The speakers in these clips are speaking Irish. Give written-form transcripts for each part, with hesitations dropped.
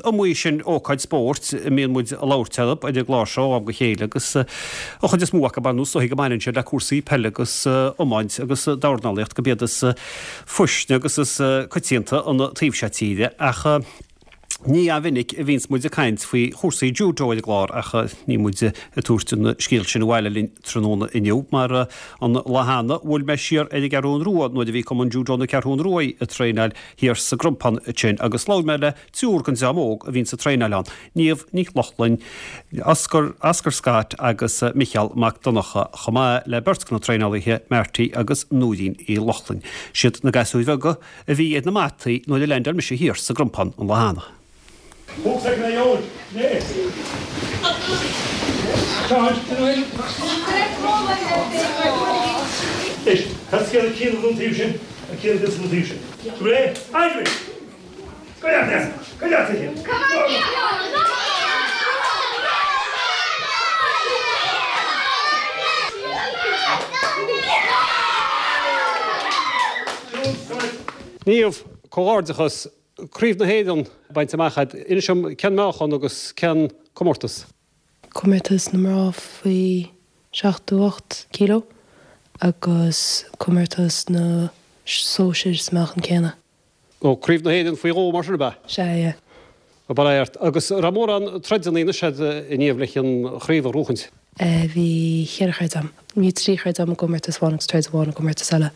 iomaí sin ócáid spóirt a mbíonn muid ag labhairt orthu ar an gclár seo ó am go chéile agus an chuid is mó acu ar ndóigh is dóichí go mbaineann siad le cúrsaí peile agus iomáint agus dornálaíocht gurb iad is faoistine agus is coitianta an taobh seo tíre ach ní an-mhinic a bhíonns muid ag caint faoi chúrsaí judo ar an gclár ach níl muid ag tabhairt an scéal sin abhaile linn tráthnóna inniu mar an lá cheana bhuail mé siar ar an gCeathrún Rua nuair a bhí Cumann Judo na Ceathrún Rua ag traenáil thiar sa gCrompán ansin agus labhair mé le triúr den dream óg a bhíonns ag traenáil ann, Niamh Ní Lochlainn, Oscar, Oscar Scott agus Micheál Mac Donncha chomh maith le beirt de na traenálaithe, Marty agus Nóirín Uí Lochlainn. Siad na gasúir bheaga a bhí ar na mataí nuair a leaindeáil mise thiar sa gCrompán an lá cheana. Niamh, comhghairdeachas, Craobh na hÉireann bainte amach agat. Inis dom, cén meáchan agus cén comórtas? Comórtas na mná faoi 78 kilo agus comórtas na sóisir sa meáchan céanna. Ó, Craobh na hÉireann faoi dhó mar sin, ab ea? Sea, yeah. Ó, bail ó Dhia ort. Agus an raibh mórán troideanna anois agat a Niamh leis an chraobh a ghnóchaint? Bhí cheithre throid a'm. Bhí trí throid a'm i gcomórtas amháin agus troid amháin i gcomórtas eile.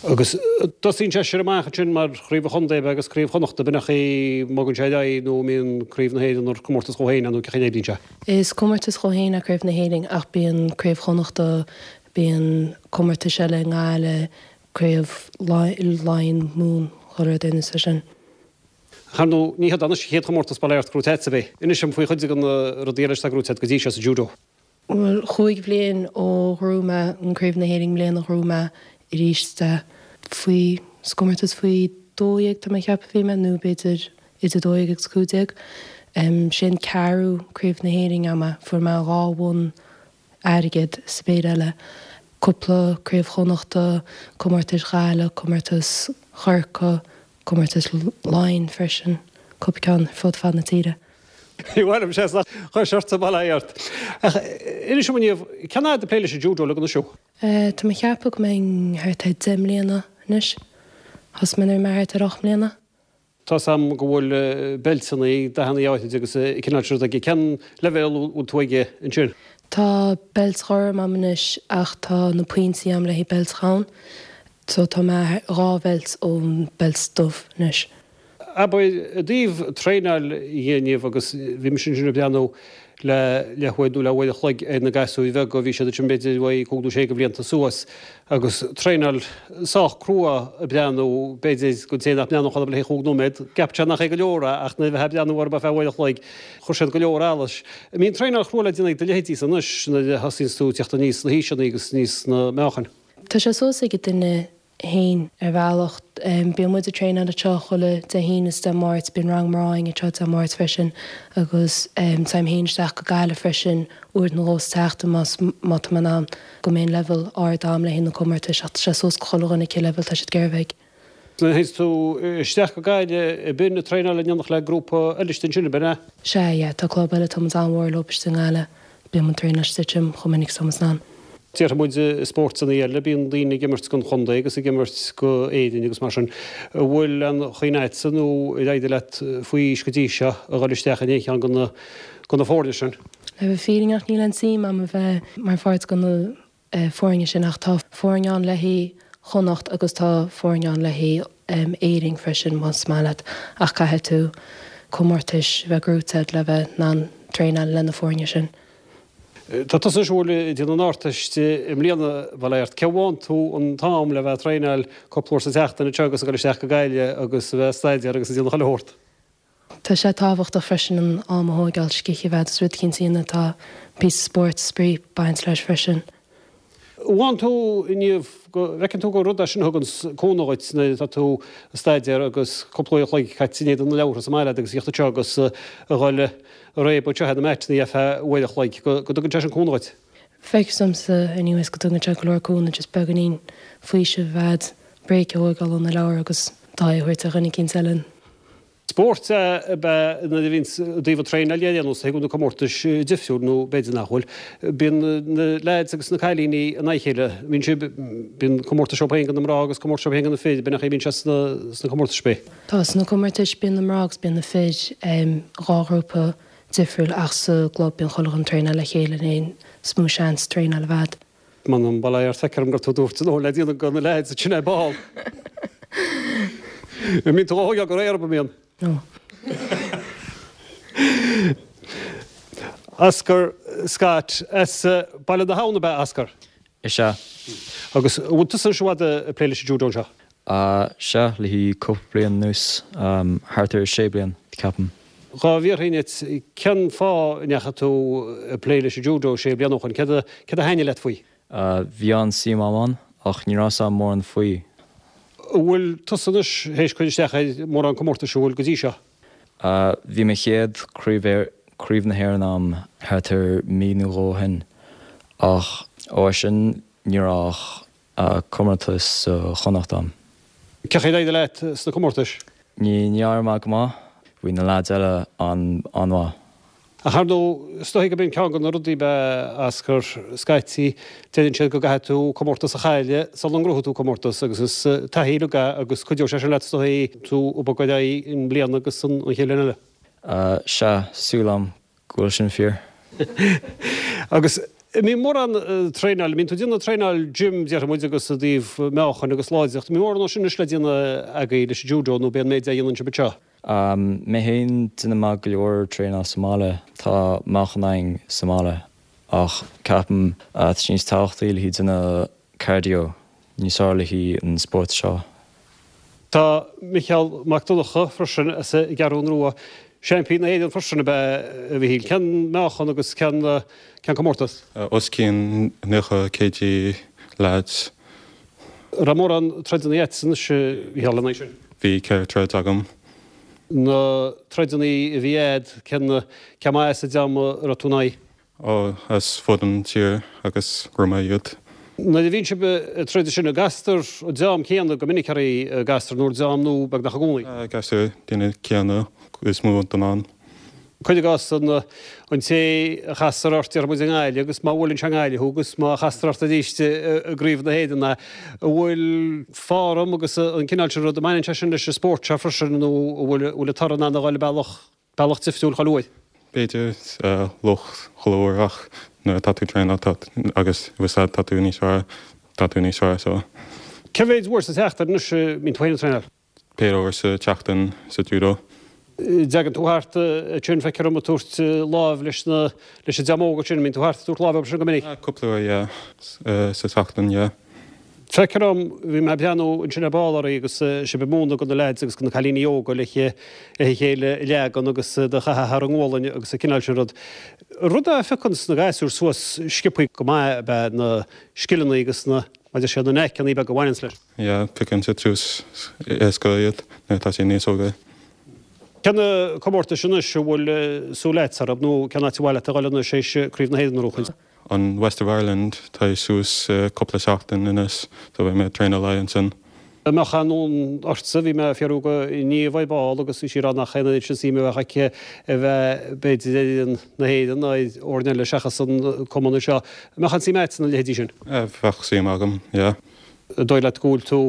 Agus tosaíonn sé sin amach ansin mar chraobh an chontae ab ea agus craobh Chonnachta, b'in an chaoi a mbogann sé ar aghaidh nó an mbíonn craobh na hÉireann ar comórtas dhó féin é nó cén chaoi a n-oibríonn sé? Is comórtas dhó féin é craobh na hÉireann ach bíonn craobh Chonnachta, bíonn comórtais eile i nGaillimh, craobh Laighean, Mumhan, chuile rud ar nós é sin. Ar ndóigh, ní hiod anois an chéad chomórtas bail ó Dhia ort gnóite agat. Inis dom faoi chuid de na rudaí eile atá gnóite agat go dtí seo sa judo. Bhuel, chúig bhliain ó ghnóthaigh mé an Craobh na hÉireann i mbliana ghnóthaigh mé arís é faoi, sa gcomórtas faoi 12 tá mé ag ceapadh a bhí mé nó b'fhéidir idir 12 agus 15. Sé an ceathrú Craobh na hÉireann a'm é. Fuair mé dhá bhonn airgid sa bpéire eile, cúpla Craobh Chonnachta, comórtais Ghaillimh, comórtas Chorcaí, comórtas Laighean freisin, cúpla ceann ar fud fad na tíre. Ní mhaith liom sé ach chuir seort sa bhaile ort. Ach inis dom a Niamh, cén fhad ag plé leis an judo le anois thú? Tá mé ag ceapadh go mbeinn thart ar 10 mbliana anois. Thosaigh mé nuair a bhí mé thart ar 8 mbliana. Tá's a'm go bhfuil beilteanna, dathanna áithride agus an cineál sin rud aige. Cén leibhéal a bhfuil tú aige ansin? Tá beilt ghorm a'm anois ach tá na pointí a'm le haghaidh beilt dhonn. So tá mé dhá bheilt ón beilt dubh anois. Abair, i dtaobh traenáil dhe a Niamh agus bhí mise ansin ag breathnú le leathuair nó le uair a chloig ar na gasúir bheaga, bhí siad ansin b'fhéidir uaidh cúig nó sé de bhlianta suas agus traenáil sách crua ag breathnú, b'fhéidir don té nach mbreathnódh orthu le haghaidh chúig nóiméad, gceapfadh sé nach é go leor é ach nuair a bheifeá ag breathnú orthu ar feadh uair a chloig, chuir siad go leor allais. An mbíonn traenáil chrua le déanamh ag do leithéidísa anois nuair a thosaíonns tú ag teacht aníos sna haoiseanna agus aníos sna meáchain? Tá sé suas ag an duine fhéin ar bhealach. Bíonn muid ag traenáil anseo chuile Dé hAoine is Dé Máirt, bíonn rang mná againn anseo Dé Máirt freisin agus téim fhéin isteach go Gaillimh freisin uair nó dhó sa tseachtain más má tá mé in ann go mbeidh an leibhéal ard a'm le haghaidh na comórtais ach tá sé suas go chuile dhuine cé leibhéal tá siad ag iarraidh a bheith ag. Nuair a théanns tú isteach go Gaillimh ab in ag traenáil in éineacht le grúpa eile istigh ansin, ab in ea? Sea, yeah, tá club eile, tá muid an-mhór leo istigh i nGaillimh. Bíonn muid ag traenáil istigh ansin chomh minic is atá muid in ann. Déarfaidh muid i spórtanna eile, bíonn daoine ag imirt don chontae agus ag imirt go Éirinn agus mar sin. An bhfuil aon chuimhne agatsa nó ar éirigh leat faoi aois go dtí seo a dhul isteach in aon cheann de na de na foirne sin? Le bheith fírinneach níl aon suim a'm a bheith mar pháirt de na foirne sin ach tá foirne ann le haghaidh Chonnacht agus tá foirne ann le haghaidh Éirinn freisin más maith leat ach caithfidh tú comórtais a bheith gnóite agat le bheith in ann traenáil le na foirne sin. Tá tusa ag siúl ag déanamh an Ardteist i mbliana, bail ó Dhia ort. Cé bhfaigheann tú an t-am le bheith ag traenáil cúpla uair sa tseachtain anseo agus ag dul isteach go Gaillimh agus a bheith ag staidéar agus ag déanamh chuile shórt? Tá sé tábhachtach freisin an am a thóigeáil, scíth a bheith agat is rud eicínt a dhéanamh tá píosa spóirt, spraoi ag baint leis freisin. Bhfaigheann tú inniu, go bhfeiceann tú gur rud é sin a thugann cúnamh dhuit nuair atá tú ag staidéar agus cúpla uair a chloig caite in éadan na leabhartha sa mbaile agat agus a thíocht anseo agus a dhul ag réabadh anseo ar na maiteanna ar feadh uair a chloig, go dtugann sé sin cúnamh dhuit. Feictear domsa anyways go dtugann sé go leor cúnamh just beagáinín faoiseamh a bheith agat, break a thóigeáil ó na leabhair agus d'aghaidh a thabhairt ar dhuine eicínt eile. Spórt ab ea nuair a bhíonns i dtaobh an traenáil dhe ar aon nós, thig na comórtais difriúil nó b'fhéidir nach bhfuil. Bíonn na leaids agus na cailíní in aghaidh a chéile. Bíonn sibh, bíonn comórtais acu féin do na mná agus comórtais acu féin do na fir, b'in an chaoi a mbíonn sé sna comórtais ab ea? Tá, sna comórtais bíonn na mná agus bíonn na fir, 2 ghrúpa difriúil ach sa gclub bíonn chuile dhuine ag traenáil le chéile an is mó seans traenáil a bheith a'd. M'anam, bail ó Dhia ort, feictear dom gur tú a dúirt an obair le déanamh do na leaids ansin ar ball. An mbíonn tú á thógáil go réidh orthu, an mbíonn? No. Oscar Scott, as Baile na hAbhann ab ea Oscar? Is ea. Agus an bhfuil tusa anois i bhfad ag plé leis an judo anseo? Sea, le haghaidh cúpla bliain anuas, thart ar sé bliain, ceapaim. Dhá bhfiafraínn díot, cén fáth a ndeachaigh tú ag plé leis an judo sé bliana ó shoin? Céard a céard a thaitnigh leat faoi? Bhí an-suim agam ann, ach ní raibh 'fhios agam mórán faoi. An bhfuil tusa anois théis cur isteach ar mórán comórtais, an bhfuil go dtí seo? Bhí mo chéad craobh Craobh na hÉireann agam thart ar mí nó dhó ó shin, ach ó sin ní raibh ach comórtas sa Chonnacht agam. Cén chaoi ar éirigh leat sna comórtais? Ní d'éirigh mé go maith. Bhí na leaids eile an-mhaith. Ach ar ndóigh, is dóigh gurb in ceann de na rudaí ab ea Oscar, scaití, deireann siad go gcaithfidh tú comórtas a chailleadh sula ngnóthaíonn tú comórtas agus is taithí uilig é agus cuideoidh sé sin leat is dóigh tú ag bogadh ar aghaidh i mbliana agus an chéad bhliain eile. Sea, súil agam go bhfuil sin fíor. Agus an mbíonn mórán traenáil, an mbíonn tú ag déanamh traenáil gym déarfaidh muid agus i dtaobh meáchain agus láidreacht, an mbíonn mórán sin anois le déanamh agaibh leis an judo nó b'é an méid a dhéanann sibh anseo? Mé féin, déanann mé go leor traenáil sa mbaile, tá meáchan againn sa mbaile ach ceapaim tá sé níos tábhachtaí le haghaidh déanamh cardio níos fearr le haghaidh an spórt seo. Tá Micheál Mac Donncha freisin as an gCeathrún Rua. Seaimpín na hÉireann freisin ab ea a Mhichíl. Cén meáchan agus cén cén comórtas? Os cionn 90 kg lads. An raibh mórán troideanna agat anois a Mhichíl lena aghaidh sin? Bhí 4 troid agam. Na troideanna a bhí a'd, cén cé maith as an dream a raibh tú ina aghaidh? Ó, as fud an tír agus ghnóthaigh mé iad. Nuair a bhíonn sibh ag troid ansin, an gcastar an dream céanna go minic oraibh, an gcastar nó an dream nua beagnach i gcónaí? Castar daoine céanna is mó den am. Cuir i gcás an an té a chastar ort, déarfaidh muid i nGaillimh, agus má bhuaileann sé i nGaillimh thú agus má chastar ort arís i gCraobh na hÉireann é, an bhfuil form agus an cineál sin rud, an mbaineann sé sin leis an spórt seo freisin nó an bhfuil an bhfuil an toradh in ann a dhul bealach Bealach difriúil chuile uair. B'fhéidir lucht chuile uair ach nuair atá tú ag traenáil tá agus bhfuil tá tú níos fearr, tá tú níos fearr so. Cé mhéid uair sa tseachtain anois a mbíonn tú féin ag traenáil? Péire uair sa tseachtain sa judo. Dteagann tú thart ansin, feictear dom ag tabhairt láimh leis na, leis an dream óg ansin, an mbíonn tú thart ag tabhairt láimh orthu sin go minic? Cúpla uair yeah, sa tseachtain yeah. Feictear dom, bhí mé ag breathnú ansin ar ball oraibh agus sibh ag múineadh do na leaids agus do na cailíní óga le a chéile a leagan agus iad a chaitheamh thar a ngualainn agus an cineál sin rud. Rud a phiocann na gasúir suas sciobthaí go maith ab ea na scileanna agus na, mar a deir siad, na knaiceanna beaga a bhaineanns leis. Yeah, piocann siad suas éasca iad nuair atá siad níos óga. Cé na comórtais anois a bhfuil súil agat orthu nó cén áit ar mhaith leat a dhul anois théis Craobh na Héireann a bhuachaint? An West of Ireland, tá suas cúpla seachtain anois so beidh mé ag traenáil le haghaidh ansin. An mbeadh aon fhonn ortsa, bhí mé ag fiafraí de Niamh ar ball agus bhí sí ag rá nach aon oiread sin suime a bheadh aici a bheith b'fhéidir ar fhoireann na hÉireann ná ar fhoirne eile seachas an cumann anseo. An mbeadh aon suim agat sna leithéidí sin? Bheadh suim agam, yeah. An dóigh leat go bhfuil tú,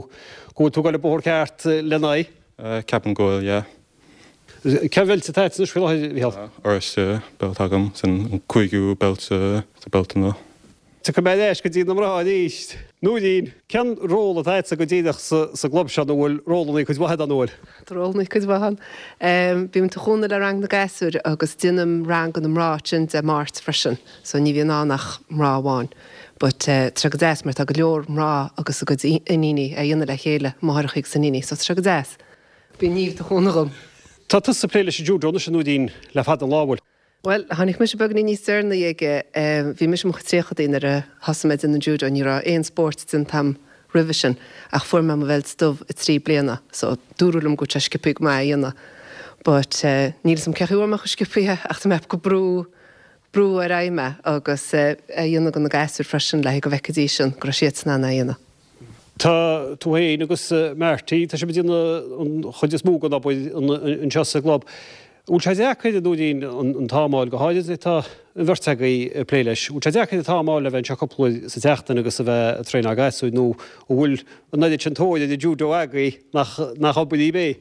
go bhfuil tú ag dul an bóthar ceart lena aghaidh? Ceapaim go bhfuil, yeah. Cén bheilt atá agat anois faoi láthair, a Mhichíl? Oráiste belt agam, sin an cúigiú belt sa beltanna. Tiocfaidh mé ar ais go dtí na mná arís. Nóirín, cén ról atá agatsa go díreach sa gclub seo nó bhfuil rólanna cuid mhaith ann, an bhfuil? Tá rólanna cuid mhaith ann. Bím ag cúnamh le rang na gasúir agus déanaim rang do na mná ansin Dé Máirt freisin so ní bhíonn ann ach mná amháin. But tá sé go deas mar tá go leor mná agus a gcuid iníní á dhéanamh le chéile, máithreacha agus iníní, so tá sé go deas. Bíonn Niamh ag cúnamh dhom. Tá tusa ag plé leis an judo anois, a Nóirín, le fada an lá, an bhfuil? Bhuel, tháinig mise beagainín níos deireanaí aige. Bhí mise i mo chuid tríochadaí nuair a thosaigh mé ag déanamh an judo. Ní raibh aon spórt déanta agam roimhe sin ach fuair mé mo bheilt dubh i 3 bliana so dúradh liom go bhfuil sé sciobthaí go maith é a dhéanamh. But níl 'fhios a'm cén chaoi a bhfuair mé chomh sciobthaí é ach tá mé ag brú, brú ar aghaidh mé agus é a dhéanamh do na gasúir freisin le go bhfeicfidís go raibh siadsan in ann é a dhéanamh. Tá tú féin agus Marty, tá sibh ag déanamh an chuid is mó den obair anseo sa gclub. An bhfuil sé deacair, a Nóirín, an t-am a fháil, go háirid tá an bheirt agaibh ag plé leis, an bhfuil sé deacair an t-am a fháil le bheith anseo cúpla uair sa tseachtain agus a bheith ag traenáil gasúir nó an bhfuil an oiread sin tóir ar an judo agaibh nach nach obair daoibh é?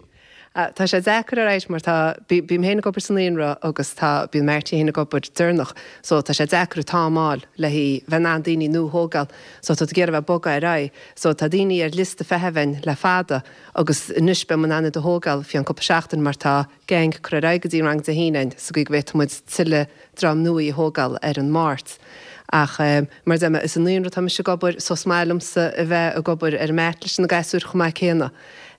Tá sé deacair alright mar tá, bím féin ag obair sa naíonra agus tá, bíonn Marty féin ag obair deireanach so tá sé deacair an t-am a fháil le bheith in ann daoine nua a thógáil so tá tú ag iarraidh bheith ag bogadh ar aghaidh so tá daoine ar liosta feithimh againn le fada agus anois beidh muid in ann iad a thógáil faoi cheann cúpla seachtain mar tá gang curtha ar aghaidh go dtí an rang Dé hAoine againn sa gcaoi go bhféadfaidh muid tuilleadh dream nua a thógáil ar an Máirt. Ach mar a deir mé, is i naíonra atá mise ag obair so is maith liomsa a bheith ag obair ar an mat leis na gasúir chomh maith céanna.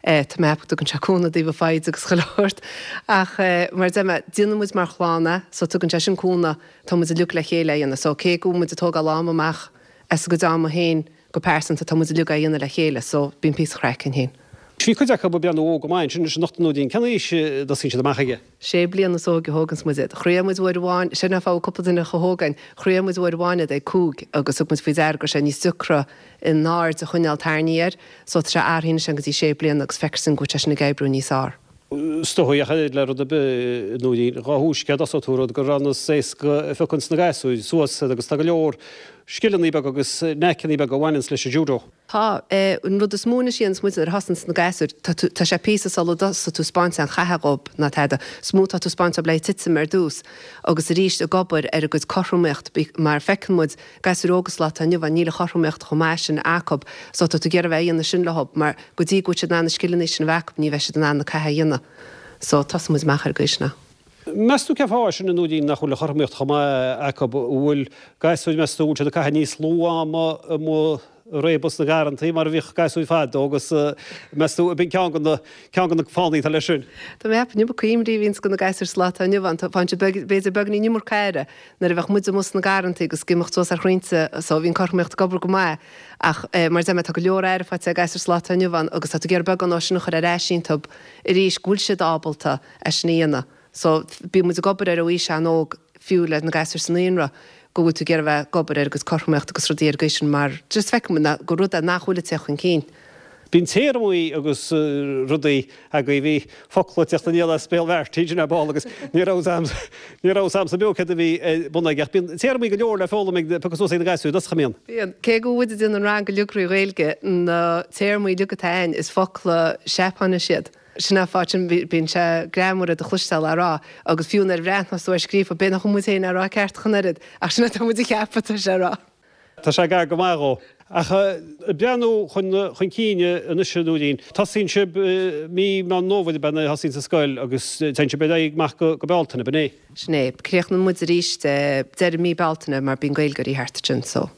Tá mé ag ceapadh go dtugann sé cúnamh i dtaobh an foighid agus chuile shórt. Ach mar a deir mé, déanann muid mar chlann é so tugann sé sin cúnamh, tá muid uilig le chéile á dhéanamh. So cé go bhfuil muid ag tógáil am amach as a gcuid ama féin go pearsanta, tá muid uilig á dhéanamh le chéile so bíonn píosa craic againn féin. Bhí cuid acu ag breathnú óg go maith ansin anois anocht a Nóirín. Cén aois a dtosaíonn siad amach aige? Sé bliana is óige a thóganns muid iad. Chroith muid uair amháin, sin an fáth a bhfuil cúpla duine chomh hóg againn, chroith muid uair amháin iad ag cúig agus thug muid faoi deara go raibh sé níos deacra an aird a choinneáil tarraingthe air so tá sé athraithe anois go dtí sé bliana agus feictear dúinn go bhfuil sé sin ag oibriú níos fearr. Is dóigh ach oiread le rud ar bith, a Nóirín, dhá thúisce a dtosóidh tú rud gur an-éasca a phiocanns na gasúir suas agus tá go leor scileanna beaga agus knackanna beaga a bhaineanns leis an judo. Tá. An rud is mó anois a dhéananns muid nuair a thosaíonns na gasúir, tá tú, tá sé píosa sula dtosaíonn tú 'spáint aon chath dhób ná tada. Is mó tá tú 'spáint dóibh le titim ar dtús agus arís ag obair ar a gcuid cothromaíocht mar feiceann muid gasúir óga sa lá atá inniu ann níl an chothromaíocht chomh maith sin acub so tá tú ag iarraidh a bheith a dhéanamh sin leob mar go dtí go bhfuil siad in ann na scileanna sin a bheith acub ní bheidh siad in ann na catha a dhéanamh so tosaíonn muid amach ar an gcaoi sin. Meas tú cén fáth é sin a Nóirín nach bhfuil an chothromaíocht chomh maith acub? An bhfuil gasúir meas tú an bhfuil siad ag caitheamh níos lú ama amuigh ag réabadh sna garrantaí mar a bhíodh gasúir fadó agus meas tú ab in ceann de na ceann de na fáthanna atá leis sin? Tá mé ag ceapadh an iomarca imní a bhíonns do na gasúir sa lá atá inniu ann. Faigheann siad b'fhéidir beagáinín iomarca aire nuair a bheadh muid amuigh sna garrantaí agus ag imeacht suas ar chrainnte so bhí an cothromaíocht ag obair go maith ach mar a deir mé tá go leor aire faighte ag gasúir sa lá atá inniu ann agus tá tú ag iarraidh beagán dó sin a chur ar ais iontub arís go bhfuil siad ábalta é sin a dhéanamh. So, bíonn muid ag obair air ó aois an-óg, fiú le na gasúir sa naíonra, go bhfuil tú ag iarraidh a bheith ag obair ar a gcuid cothromaíocht agus rudaí ar an gcaoi sin mar just feiceann muid gur rud é nach bhfuil ag teacht chun cinn. Bíonn téarmaí agus rudaí agaibh, bhí focla ag teacht aniar as béal Mharty sin ar ball agus ní raibh ní raibh 's a'msa beo céard a bhí ar bun aige ach bíonn téarmaí go leor le foghlaim ag piocadh suas ag na gasúir, nach mbíonn? Bíonn. Cé go bhfuil muid ag déanamh an rang uilig trí Ghaeilge, na téarmaí uilig atá ann is focla Seapáinise iad. Sin an fáth sin, bíonn sé greannmhar iad a chloisteáil á rá, agus fiú nuair a bhreathnós tú ar scríofa, b'fhéidir nach bhfuil muid féin á rá ceart ach an oiread, ach sin atá muid a cheapadh atá sé a rá. Tá sé gar go maith dhó. Ach ag breathnú chun chun cinn anois a Nóirín, tosaíonn sibh mí Meán Fómhair ab ea nuair a thosaíonn an scoil agus téann sibh ar aghaidh amach go Bealtaine, ab in é? Sin é. Críochnaíonn muid arís deireadh mí Bealtaine mar bíonn Gaeilgeoirí thart ansin so.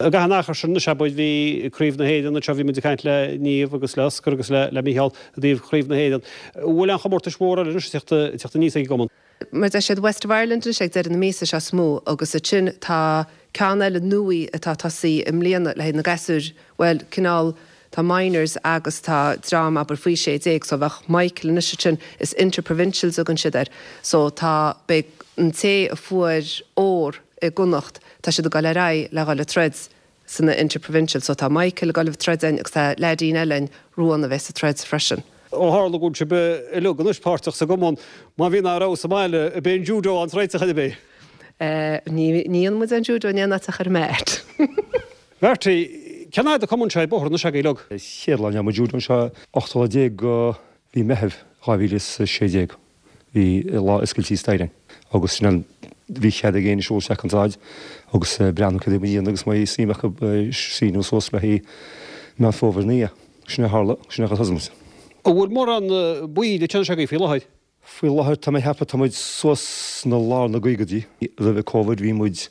I gcaitheamh an achair sin anois, abair, bhí Craobh na hÉireann anseo, bhí muid ag caint le Niamh agus le Oscar agus le Mícheál i dtaobh Chraobh na hÉireann. An bhfuil aon chomórtais mhóra eile anois ag teacht aníos ag an gcumann? Mar a deir siad West of Ireland anois ag deireadh na míosa seo is mó agus ansin tá ceann eile nua atá ag tosaí i mbliana le haghaidh na gasúir, bhuel, cineál, tá minors agus tá dream abair faoi 16 so bheadh Michael anois ansin, is inter-provincials a thugann siad air so tá, beidh an té a fuair ór i gConnacht, tá siad ag dul ar aghaidh le dhul ag troid sna inter-provincials so tá Michael ag dul ag troid ann agus tá leaidín eile ann, Ruán, a bheas ag troid freisin. Ó tharla go bhfuil sibh uilig anois páirteach sa gcumann, má bhíonn ár bhfeabhas sa mbaile, ab é an judo an réiteach ar bith? Ní dhéanann muid an judo in aon áit ach ar an mat. Marty, cén fhad an cumann seo ar bóthar anois agaibh uilig? Chéad lá a ndeachaigh muid judo anseo, 18 lá de mhí Meitheamh 2016. Bhí lá oscailte staighre ann agus sin an, bhí cead ag éinne siúl isteach an tsráid agus breathnú cad é a bhí á dhéanamh agus má bhí suim acu síniú suas le haghaidh Meán Fómhair 9. Sin é a tharla, sin é a thosaigh muid. An bhfuil mórán baill ag teannais agaibh faoi láthair? Faoi láthair tá mé ag ceapadh tá muid suas sna lár na gcaogaidí. Roimhe Covid bhí muid,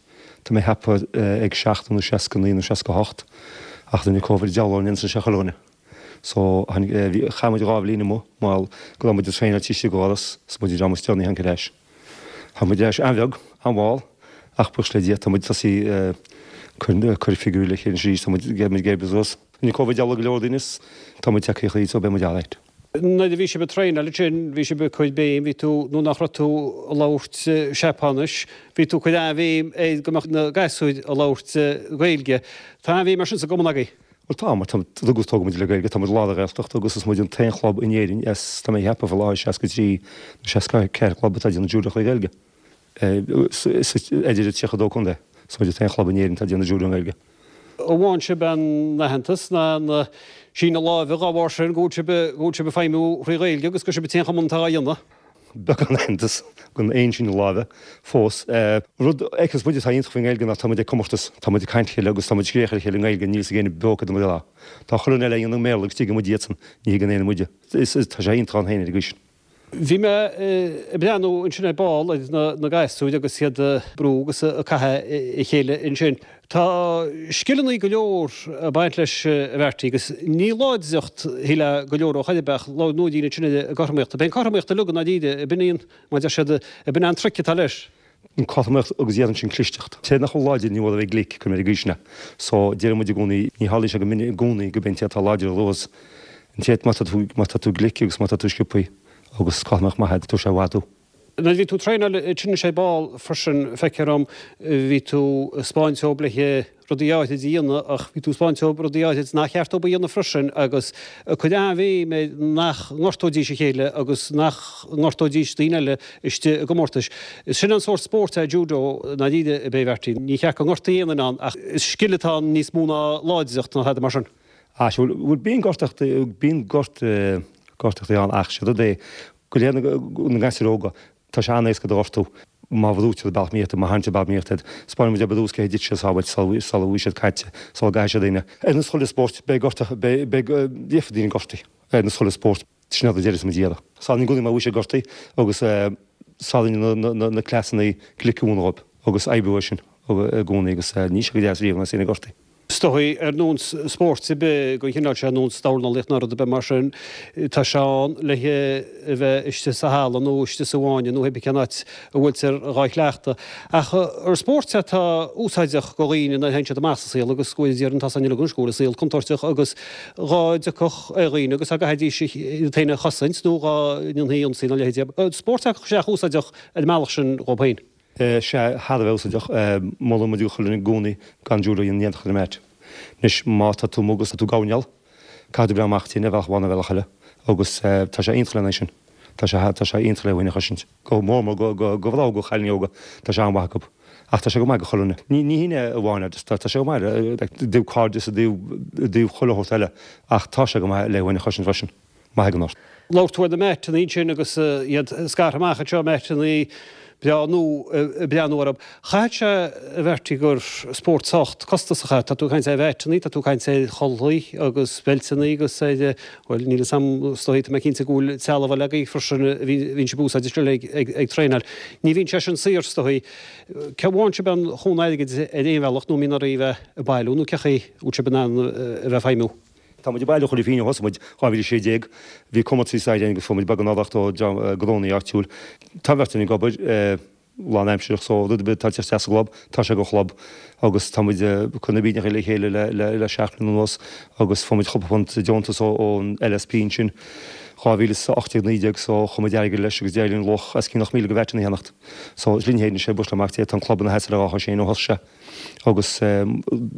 tá mé ag ceapadh, ag 70 nó 69 nó 68 ach rinne Covid deabhal orainn ansin sé chuile dhuine. So, tháinig, bhí, chaith muid 2 bhliain amuigh, mar go raibh muid ag traenáil taobh istigh de dhoras, is muid an dream is deireanaí a tháinig ar ais. Tháinig muid ar ais an-bheag, an-mhall, ach buíochas le Dia, tá muid tosaithe ag cur figiúirí le chéile anois arís, tá muid, muid ag oibriú suas. Rinne Covid deabhal ar go leor daoine is tá muid tagtha thríd, so beidh muid alright. Nuair a bhí sibh ag traenáil ansin, bhí sibh ag cur béim, bhí tú, nó nach raibh tú ag labhairt Seapáinis, bhí tú ag cur an-bhéim ar go mbeadh na gasúir ag labhairt Gaeilge. Tá an-bhéim ar sin sa gcumann agaibh. Bhuel tá, mar tá, rugadh is tógadh muid le Gaeilge, tá muid i lár na Gaeltachta agus is muid an t-aon chlub in Éirinn as, tá mé ag ceapadh, faoi láthair 63 nó 64 club atá ag déanamh judo trí Ghaeilge. Idir an 32 contae, is muid an t-aon chlub in Éirinn atá ag déanamh judo i nGaeilge. An bhfaigheann sibh aon aitheantas ná aon síneadh láimhe dá bharr sin go bhfuil sibh, go bhfuil sibh ag feidhmiú thrí Ghaeilge agus gur sibh an t-aon chumann atá á dhéanamh? Beagán aitheantas gan aon síneadh láimhe fós. Rud a fheiceanns muid atá iontach faoin nGaeilge ná tá muid ag comórtas, tá muid ag caint le chéile agus tá muid ag scréach ar a chéile i nGaeilge, níl fhios ag éinne beo céard a muid a rá. Tá chuile dhuine eile a dhéanamh i mBéarla agus tuigeann muid iadsan, ní thuigeann éinne muide. Tá sé iontach ann féin ar an gcaoi sin. Bhí mé ag breathnú ansin ar ball ar na gasúir agus iad ag brú agus ag caitheamh a chéile ansin. Tá scileanna go leor ag baint leis a Bheairtle agus ní láidreacht shílfeá go leor ó chor ar bith ach labhair Nóirín ansin ar an gcothromaíocht. Ab é an cothromaíocht uilig i ndáiríre, ab in í an, mar a deir siad, ab in é an trick atá leis. An cothromaíocht agus déarfainn sin clisteacht. Té nach bhfuil láidir ní mhór a bheith glic, cuir mé ar an gcaoi sin é. So, deireann muid i gcónaí, ní tharlaíonn sé go minic i gcónaí go mbíonn an té atá láidir a bhuas. An té, má tá tú, má tá tú glic agus má tá tú sciobthaí agus cothromaíocht maith agat, tabharfaidh sé i bhfad thú. Nuair a bhí tú ag traenáil ansin ar ball freisin, feictear dom, bhí tú ag 'spáint dóibh le rudaí áithrid a dhéanamh ach bhí tú ag 'spáint dóibh rudaí áithrid nach cheart dóibh a dhéanamh freisin agus ag cur an-bhéim ar nach ngortóidís a chéile agus nach ngortóidís daoine eile istigh i gcomórtais. Sin an sórt spóirt é judo i ndáiríre, ab é a Bheairtle? Ní cheart go ngortaí aon duine ann ach is scil atá ann níos mó ná láidreacht nó tada mar sin. Á, sea, bhuel, bíonn gortachtaí, bíonn gort, gortachtaí ann ach sé rud é, Go léir na gasúir óga, tá sé an-éasca iad a ghortú má bhrúitear bealach mícheart, má tharraingtear bealach mícheart iad. 'Spáineann muid ar dtús cé hiad siad sábháilte sula bhfuil siad caite, sula gcaithfidh siad éinne. Ar nós chuile spórt, beidh gortach, beidh, beidh, gheobhaidh daoine gortaithe. Ar nós chuile spórt, sin rud a deireas muid iarraidh. Sáraíonn i gcónaí má bhfuil siad gortaithe agus sáraíonn na, na, na, na cleasanna glice a mhúineadh dóibh agus oibriú air sin i gcónaí agus níl sé go deas riamh nuair is éinne gortaithe. Is dóigh, ar nós spóirt ar bith den chineál seo, ar nós dornálaíocht nó rud ar bith mar sin, tá sé ann le a bheith istigh sa halla nó istigh sa bhfáinne nó pé cén áit a bhfuiltear dhá chleachtadh. Ach ar spórt é atá úsáideach do dhaoine nuair a théann siad amach sa saol agus go bhfuil iad ar an tá san uilig anois go bhfuil an saol contúirteach agus dhá dtiocfadh ar dhaoine agus dá gcaithfidís iad féin a chosaint nó dhá ndéanfaí ionsaí nó a leithéid. Spórt é sách úsáideach ar an mbealach sin dhóibh féin. Sea, thar a bheith úsáideach. Molann muid do chuile dhuine i gcónaí gan judo a dhéanamh in éineacht ar an mat. Anois, má tá tú amuigh agus tá tú ag gabháil, caithfidh tú breathnú amach duit féin ar bhealach amháin nó ar bhealach eile. Agus tá sé iontach lena aghaidh sin. Tá sé, tá sé iontach le thú féin a chosaint. Go mór mór go, go, go mhná óga, chailíní óga, tá sé an-mhaith acu. Ach tá sé go maith do chuile dhuine. Ní, ní hé amháin, tá, tá sé go maith i dtaobh cairdeas, i dtaobh, i dtaobh chuile shórt eile. Ach tá sé go maith le thú féin a chosaint freisin. Maith ag an ort. Labhair tú ar na meaiteanna ansin agus iad scartha amach anseo, meaiteanna breá nua ag breathnú orthu. Chaithfeadh sé, a Bheairtle, gur spórt sách costasach é. Tá tú ag caint ar mheaiteanna, tá tú ag caint ar chulaith agus beilteanna agus ar, bhuel, níl fhios a'm, is dóigh, tá mé cinnte go bhfuil trealamh eile agaibh freisin a bhíonn sibh ag úsáid istigh ag traenáil. Ní bhíonn sé sin saor, is dóigh. Cé bhfaigheann sibh aon chúnamh airgid ar aon bhealach nó an mbíonn oraibh a bheith ag bailiú nó cé chaoi a bhfuil sibh in ann a bheith ag feidhmiú? Tá muid ag bailiú chuile phingin ó thosaigh muid 2016. Bhí comórtas againn agus fuair muid beagán urraíocht ó gnónnaí áitiúil. Tá an bheirt againn ag obair lán aimsireach so rud ar bith atá ag teacht isteach sa gclub, tá sé don chlub agus tá muid ag cur na bpingineacha le chéile le 7 mbliana anuas agus fuair muid cúpla punt deontas ón LSP ansin 2018, 19 so chuir muid airgead leis agus d'éirigh linn luach os cionn 8,000 de mheaiteanna a cheannacht. So is linn féin anois é bualadh amach dé tá an club ina sheasamh ar dhá chois féin ó thosaigh sé agus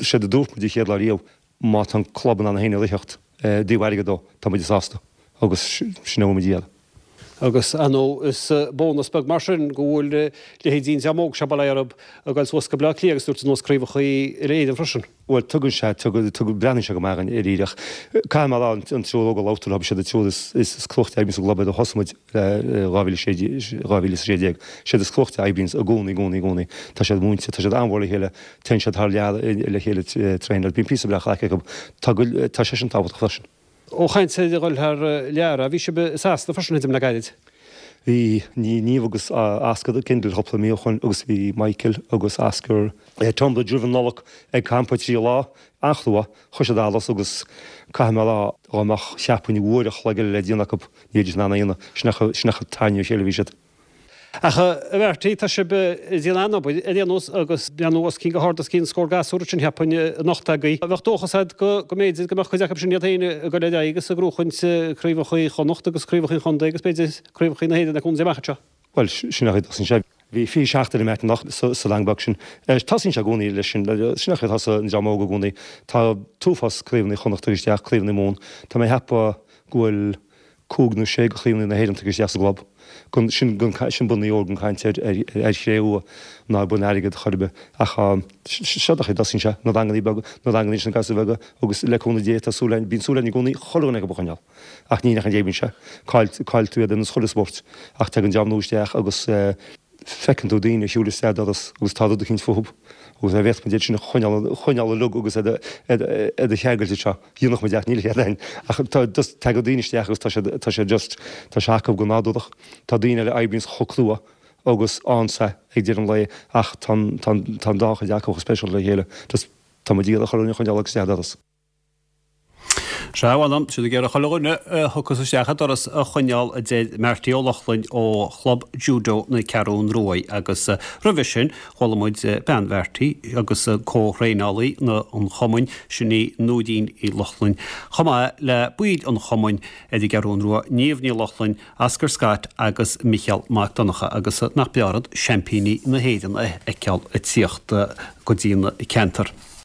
séard a dúirt muid an chéad lá riamh, Má tá an club in ann é féin a ritheacht i dtaobh airgid dó, tá muid sásta agus sin a bhfuil muid a iarraidh. Agus, ar ndóigh, is bónas beag mar sin go bhfuil leithéidí an dream óg seo, bail ó Dhia orthu, ag dul suas go Baile Átha Cliath agus dúirt nós craobhacha uile-Éireann freisin. Bhuel, tugann sé, tugann, tugann, breathnaíonn sé go maith againn dáiríre. Caithfidh mé a rá, an triúr óg a labhair tú leo, siad an triúr is, is cruachtaí a oibríonn sa gclub ó thosaigh muid, 2016, 2016. Siad is cruachtaí a oibríonns i gcónaí, i gcónaí, i gcónaí. Tá siad múinte, tá siad an-mhór le chéile, téann siad thar lear le chéile traenáil, bíonn píosa breá craic acu. Tá go, tá sé sin tábhachtach freisin. Ó chaint ar dhul thar lear, bhí sibh i Sasana freisin, tuigim, le gairid. Bhí Niamh agus Oscar i Kendal cúpla mí ó shoin agus bhí Michael agus Oscar i Tonbridge roimh an Nollaig ag campa 3 lá, an-chrua. Chuir siad allas agus caithfidh mé a rá dá mbeadh cheapfainn uair a chloig eile le déanamh acu, ní bheidís in ann é a dhéanamh. Sin é chomh tarraingthe ar a chéile a bhí siad. Ach a Bheairtle, tá sibh ag déanamh an-obair ar aon nós agus breathnú os cionn go hard os cionn scór gasúr ansin cheapfainn anocht agaibh. Bheadh dóchas agat go mb'fhéidir go mbeadh cuid acu sin iad féin ag dul ar aghaidh agus ag gnóchaint craobhacha Chonnacht agus craobhacha an chontae agus b'fhéidir craobhacha na hÉireann le cúnamh Dé amach anseo. Bhuel, sin é a dtosaíonn sé. Bhí 27 duine anocht sa rang beag sin. Tosaíonn sé i gcónaí leis sin, sin an chaoi a thosaigh an dream óg i gcónaí. Tá an t-uafás craobhanna Chonnacht tagtha isteach, craobhanna Mumhan. Tá mé ag ceapadh go bhfuil cúig nó sé de chraobhanna na hÉireann tagtha isteach sa gclub. Sin sin bonn óir gan caint ar ar chré-umha ná ar bonn airgid chor ar bith. Ach seo an chaoi a dtosaíonn sé, na ranganna beaga, na ranganna sin na gasúir bheaga agus le cúnamh Dé tá súil againn, bíonn súil againn i gcónaí chuile dhuine acu a choinneáil. Ach ní nach an deimhin sé. Caillfidh tú iad ar nós chuile spórt. Ach tagann dream nua isteach agus feiceann tú daoine ag siúl isteach doras agus tá rud eicínt fúthu agus dá bhféadfadh muid iad sin a choinneáil, choinneáil uilig agus iad a cheangailt anseo, dhéanfadh muid ach níl a fhios againn. Ach tá just, tagann daoine isteach agus tá siad, tá siad just, tá sé acu go nádúrach. Tá daoine eile a oibríonns chomh crua agus ansa ag deireadh an lae ach tá an, tá an, tá an dá chuid acu chomh speisialta le chéile. Just, tá muid ag iarraidh chuile dhuine a choinneáil agus isteach doras. Sea, bhuel, siad ag iarraidh chuile dhuine a thiocfas isteach an doras a choinneáil, a deir Marty Ó Lochlainn ó Chlub Judo na Ceathrún Ruaidh agus roimhe sin chuala muid bean Mharty agus comh-thraenálaí an chumainn, sin í Nóirín Uí Lochlainn, chomh maith le baill an chumainn ar an gCeathrún Rua, Niamh Ní Lochlainn, Oscar Scott agus Micheál Mac Donncha agus nach breá rud seaimpíní na hÉireann a fheiceáil ag tíocht go dtí an ceantar.